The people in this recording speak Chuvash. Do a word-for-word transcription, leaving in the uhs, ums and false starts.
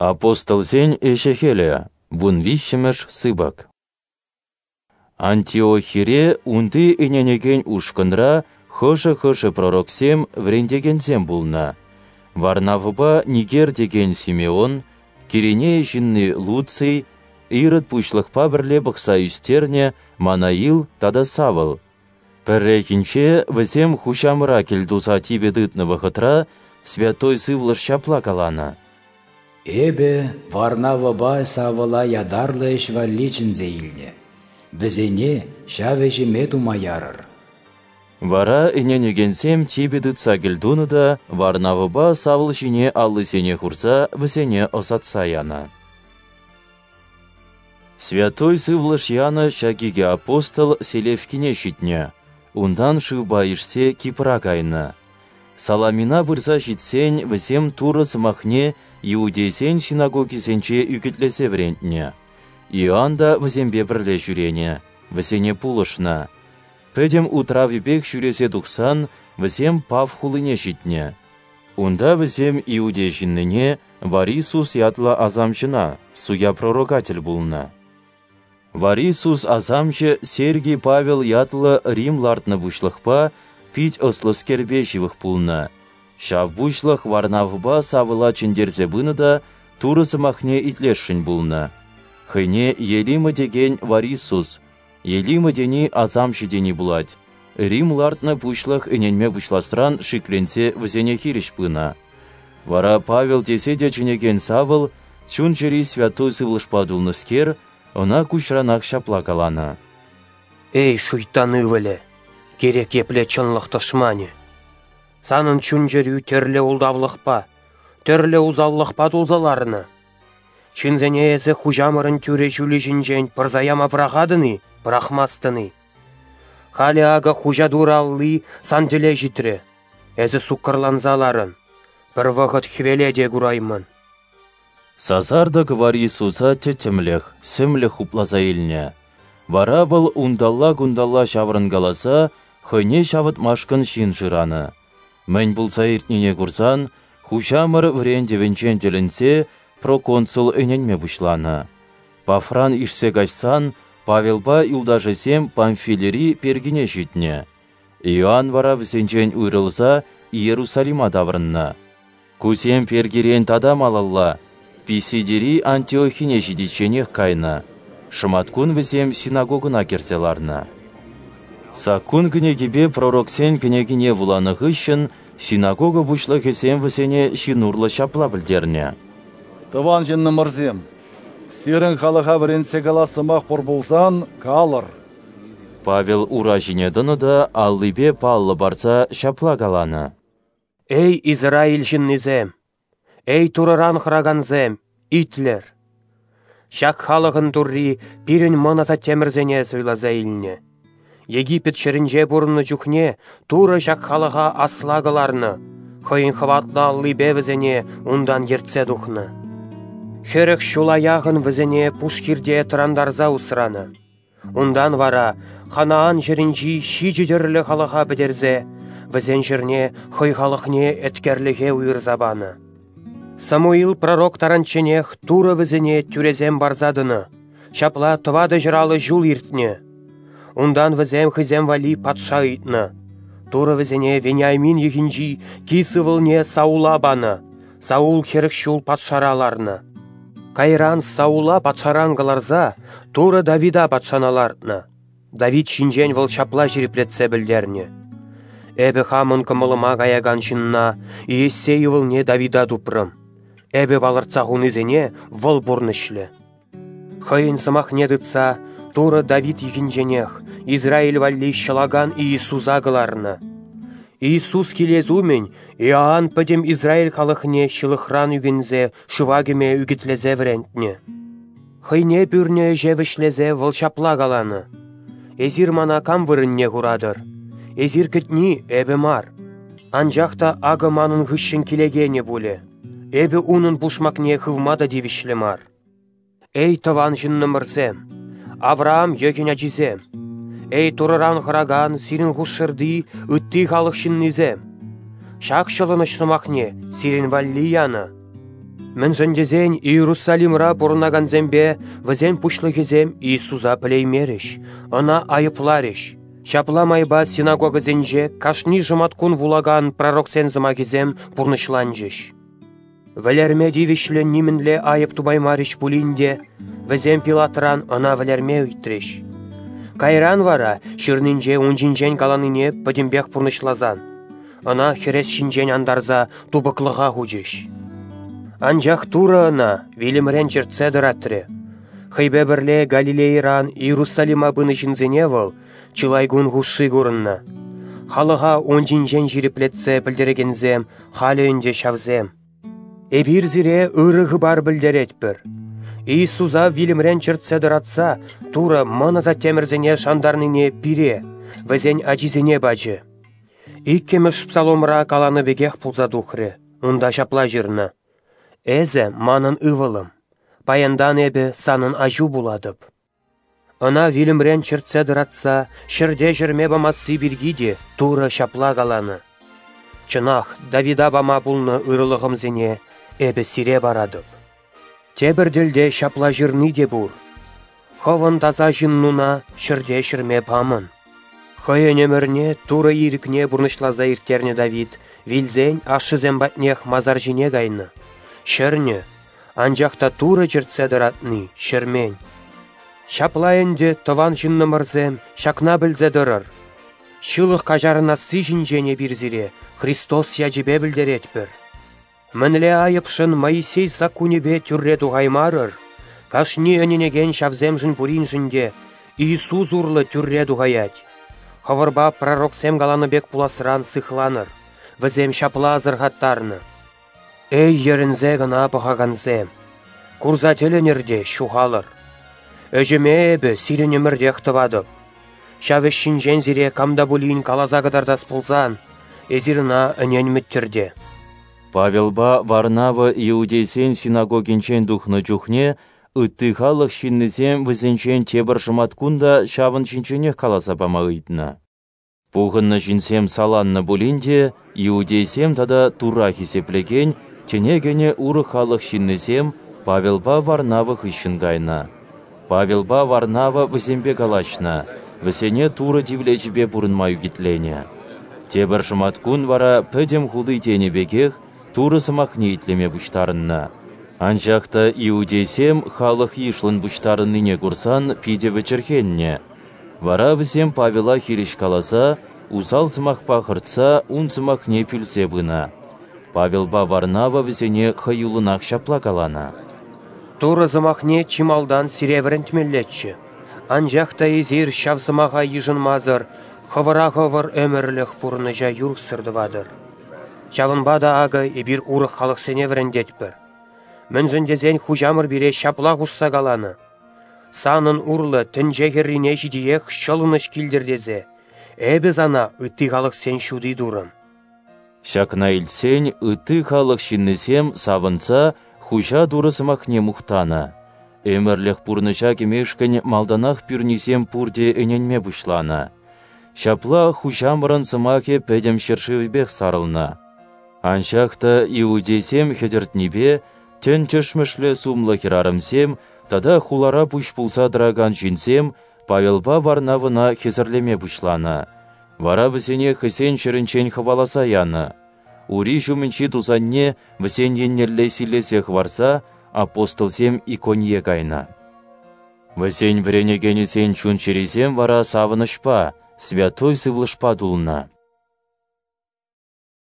Апостолсен ӗҫӗ-хӗлӗ, вунвиҫҫӗмӗш сыпӑк. Антиохире унти ӗненекен ушкӑнра хӑшӗ-хӑшӗ пророксем, вӗрентекенсем пулнӑ. Варнавӑпа Нигер текен Симеон, Киринея ҫынни Луций, Ирод пуҫлӑхпа пӗрле пӑхса ӳстернӗ Манаил тата Савл. Пӗррехинче вӗсем Хуҫамӑра кӗлтуса типӗ тытнӑ вӑхӑтра Святой Сывлӑш ҫапла каланӑ: «Эпӗ Варнавӑпа Савла ятарлӑ ӗҫ валли чӗнсе илнӗ. Вӗсене ҫав ӗҫӗме тума ярӑр». Вара ӗненекенсем типӗ тытса кӗлтунӑ та Варнавӑпа Савл ҫине аллисене хурса вӗсене ӑсатса янӑ. Святой Сывлӑш янӑ ҫак икӗ апостол Селевкине ҫитнӗ, унтан шывпа ишсе Кипра кайнӑ. Саламина пырса ҫитсен вӗсем Турӑ сӑмахне иудейсен синагогисенче ӳкӗтлесе вӗрентнӗ. Иоанн та вӗсемпе пӗрле ҫӳренӗ, вӗсене пулӑшнӑ. Пӗтӗм утравӗпех ҫӳресе тухсан вӗсем Паф хулине ҫитнӗ. Унта вӗсем иудей ҫыннине Варисус ятлӑ асамҫӑна, суя пророка тӗл пулнӑ. Варисус асамҫӑ Сергий Павел ятлӑ Рим лартнӑ пуҫлӑхпа, пит ӑслӑскерпе ҫывӑх пулнӑ. Ҫав пуҫлӑх Варнавӑпа Савла чӗнтерсе пынӑ та Турӑ сӑмахне итлесшӗн пулнӑ. Хӑйне Елима текен Варисус, Елима тени асамҫӑ тени пулать, Рим лартнӑ пуҫлӑх ӗненме пуҫласран шикленсе вӗсене хирӗҫ пынӑ. Вара Павел тесе те чӗнекен Савл, чун-чӗри Святой Сывлӑшпа тулнӑскер, ӑна куҫранах ҫапла каланӑ: «Эй, шуйттан ывӑлӗ, кирек епле чӑнлӑх тӑшманӗ! Санӑн чун-чӗрӳ тӗрлӗ ултавлӑхпа, тӗрлӗ усаллӑхпа тулса ларнӑ. Ҫынсене эсӗ Хуҫамӑрӑн тӳрӗ ҫулӗ ҫинчен пӑрса яма пӑрахатӑн-и, пӑрахмастӑн-и? Халӗ акӑ Хуҫа Турӑ алли сан тӗле ҫитрӗ. Эсӗ суккӑрланса ларӑн, пӗр вӑхӑт хӗвеле те кураймӑн». Сасартӑк Варисуса тӗттӗмлӗх, сӗмлӗх хупласа илнӗ. Вара вӑл унталла-кунталла ҫаврӑнкаласа хӑйне ҫавӑтмашкӑн ҫын шыранӑ. Мӗн пулса иртнине курсан, Хуҫамӑр вӗрентӗвӗнчен тӗлӗнсе проконсул ӗненме пуҫланӑ. Пафран ишсе каҫсан Павелпа юлташӗсем Памфилири Пергине ҫитнӗ. Иоанн вара вӗсенчен уйрӑлса Иерусалима таврӑннӑ. Кусем Пергирен тата малалла, Писидири Антиохине ҫитичченех кайнӑ. Шӑматкун вӗсем синагогӑна кӗрсе ларнӑ. Саккун кӗнекипе пророксен кӗнекине вуланӑ хыҫҫӑн синагога пуҫлӑхӗсем вӗсене ҫын урлӑ ҫапла пӗлтернӗ: «Тӑван ҫыннӑмӑрсем, сирӗн халӑха вӗрентсе калас сӑмах пур пулсан, калӑр». Павел ура ҫине тӑнӑ та аллипе паллӑ парса ҫапла каланӑ: «Эй, Израиль ҫыннисем! Эй, Турӑран хӑракансем, итлӗр! Ҫак халӑхӑн Турри пирӗн мӑн асаттемӗрсене суйласа илнӗ. Египет ҫӗрӗнче пурӑннӑ чухне Турӑ ҫак халӑха асла кӑларнӑ, хӑйӗн хӑватлӑ аллипе вӗсене унтан ертсе тухнӑ. Хӗрӗх ҫула яхӑн вӗсене пушхирте тӑрантарса усранӑ. Унтан вара Ханаан ҫӗрӗнчи ҫичӗ тӗрлӗ халӑха пӗтерсе, вӗсен ҫӗрне хӑй халӑхне еткерлӗхе уйӑрса панӑ. Самуил пророк таранчченех Турӑ вӗсене тӳресем парса тӑнӑ, ҫапла тӑватӑ ҫӗр аллӑ ҫул иртнӗ. Унтан вӗсем хӑйсем валли патша ыйтнӑ. Турӑ вӗсене Вениамин йӑхӗнчи Кис ывӑлне Саула панӑ. Саул хӗрӗх ҫул патшара ларнӑ. Кайран Саула патшаран кӑларса Турӑ Давида патшана лартнӑ. Давид ҫинчен вӑл ҫапла ҫирӗплетсе пӗлтернӗ: «Эпӗ хамӑн кӑмӑлӑма каякан ҫынна Иессей ывӑлне Давида тупрӑм. Эпӗ палӑртса хунисене вӑл пурнӑҫлӗ». Хӑйӗн сӑмахне тытса Турӑ Давид йӑхӗнченех Израиль валли ҫӑлакан Иисуса кӑларнӑ. Иисус килес умӗн Иоанн пӗтӗм Израиль халӑхне ҫылӑхран ӳкӗнсе шыва кӗме ӳкӗтлесе вӗрентнӗ. Хӑйне пӳрнӗ ӗҫе вӗҫлесе вӑл ҫапла каланӑ: «Эсир мана кам вырӑнне хуратӑр? Эсир кӗтни эпӗ мар. Анчах та акӑ манӑн хыҫҫӑн килекенӗ пулӗ. Эпӗ унӑн пушмакне хывма та тивӗҫлӗ мар». Эй, тӑван ҫыннӑмӑрсем, Авраам йӑхӗн ачисем! Эй, Турӑран хӑракан сирӗн хушшӑрти ытти халӑх ҫыннисем! Ҫак ҫӑлӑнӑҫ сӑмахне сирӗн валли янӑ. Мӗншӗн тесен Иерусалимра пурӑнакансемпе вӗсен пуҫлӑхӗсем Иисуса пӗлеймерӗҫ, Ӑна айӑпларӗҫ. Ҫапла майпа синагогӑсенче кашни шӑматкун вулакан пророксен сӑмахӗсем пурнӑҫланчӗҫ. Вӗлерме тивӗҫлӗ нимӗнле айӑп тупаймарӗҫ пулин те, вӗсем Пилатран ӑна вӗлерме ыйтрӗҫ. Кайран вара ҫырнинче ун ҫинчен каланине пӗтӗмпех пурнӑҫласан, ӑна хӗрес ҫинчен антарса тупӑклӑха хучӗҫ. Анчах Турӑ ӑна вилӗмрен чӗртсе тӑратрӗ. Хӑйпе пӗрле Галилейӑран Иерусалима пынӑ ҫынсене вӑл чылай кун хушши курӑннӑ. Халӑха ун ҫинчен ҫирӗплетсе пӗлтерекенсем халӗ ӗнтӗ ҫавсем. Эпир сире ырӑ хыпар пӗлтеретпӗр. Иисуса вилӗмрен чӗртсе тӑратса Турӑ мӑн асаттемӗрсене шантарнине пире, вӗсен ачисене пачӗ. Иккӗмӗш псаломра каланӑ пекех пулса тухрӗ, унта ҫапла ҫырнӑ: «Эсӗ манӑн ывӑлӑм, паянтан эпӗ санӑн аҫу пулатӑп». Ӑна вилӗмрен чӗртсе тӑратса ҫӗрте ҫӗрме памасси пирки те Турӑ ҫапла каланӑ: «Чӑнах, Давида пама пулнӑ ырӑлӑхӑмсене эпӗ сире паратӑп». Тепӗр тӗлте ҫапла ҫырни те пур: «Хӑвӑн таса ҫыннуна ҫӗрте ҫӗрме памӑн». Хӑйӗн ӗмӗрне Турӑ ирӗкне пурнӑҫласа ирттернӗ Давид вилсен ашшӗсем патнех масар ҫине кайнӑ, ҫӗрнӗ, анчах та Турӑ чӗртсе тӑратни ҫӗрмен. Ҫапла ӗнтӗ, тӑван ҫыннӑмӑрсем, ҫакна пӗлсе тӑрӑр. Ҫылӑх каҫарӑнасси ҫинчен эпир сире Христос ячӗпе пӗлтеретпӗр. Мӗнле айӑпшӑн Моисей саккунӗпе тӳрре тухаймарӑр, кашни ӗненекен ҫавсемшӗн пуриншӗн те Иисус урлӑ тӳрре тухаять. Хӑвӑрпа пророксем каланӑ пек пуласран сыхланӑр, вӗсем ҫапла асӑрхаттарнӑ: «Эй, йӗрӗнсе кӑна пӑхакансем, курса тӗлӗнӗр те ҫухалӑр. Ӗҫӗме эпӗ сирӗн ӗмӗртех тӑватӑп. Ҫав ӗҫ ҫинчен сире кам та пулин каласа кӑтартас пулсан, эсир ӑна ӗненмӗттӗр те». Павелпа Варнава иудейсен синагогинчен тухнӑ чухне ытти халӑх ҫыннисем вӗсенчен тепӗр шӑматкун та ҫавӑн ҫинченех каласа пама ыйтнӑ. Пухӑннӑ ҫынсем саланнӑ пулин те, иудейсем тата Турра хисеплекен, тӗне кӗнӗ урӑх халӑх ҫыннисем Павелпа Варнава хыҫҫӑн кайнӑ. Павелпа Варнава вӗсемпе калаҫнӑ, вӗсене Турӑ тивлечӗпе пурӑнма ӳкӗтленӗ. Тепӗр шӑматкун вара пӗтӗм хули тенӗ пекех Турӑ сӑмахне итлеме пуҫтарӑннӑ. Анчах та иудейсем халӑх йышлӑн пуҫтарӑннине курсан питӗ вӗчӗрхеннӗ. Вара вӗсем Павела хирӗҫ каласа, усал сӑмахпа хӑртса ун сӑмахне пӳлсе пынӑ. Павелпа Варнава вӗсене хӑюллӑнах ҫапла каланӑ: «Турӑ сӑмахне чи малтан сире вӗрентмеллеччӗ, анчах та эсир ҫав сӑмаха йышӑнмасӑр хӑвӑра хӑвӑр ӗмӗрлӗх пурӑнӑҫа юрӑхсӑр тӑватӑр. Ҫавӑнпа та акӑ эпир урӑх халӑхсене вӗрентетпӗр. Мӗншӗн тесен Хуҫамӑр пире ҫапла хушса каланӑ: «Санӑн урлӑ тӗнче хӗррине ҫитиех ҫӑлӑнӑҫ килтӗр тесе, эпӗ сана ытти халӑхсен ҫути турӑм». Ҫакна илтсен ытти халӑх ҫыннисем савӑнса Хуҫа Турӑ сӑмахне мухтанӑ. Ӗмӗрлӗх пурнӑҫа кӗмешкӗн малтанах пӳрнисем пурте ӗненме пуҫланӑ. Ҫапла Хуҫамӑрӑн сӑмахӗ пӗтӗм ҫӗршывӗпех сарӑлнӑ. Анчах та иудейсем хӗтӗртнипе тӗн тӗшмӗшлӗ сумлӑ хӗрарӑмсем тата хулара пуҫ пулса тӑракан ҫынсем Павелпа Варнавӑна хӗсӗрлеме пуҫланӑ. Вара вӗсене хӑйсен ҫӗрӗнчен хӑваласа янӑ. Ури ҫумӗнчи тусанне вӗсен еннелле силлесе хӑварса апостолсем Иконие кайнӑ. Вӗсен вӗренекенӗсен чун-чӗрисем вара савӑнӑҫпа, Святой Сывлӑшпа тулнӑ.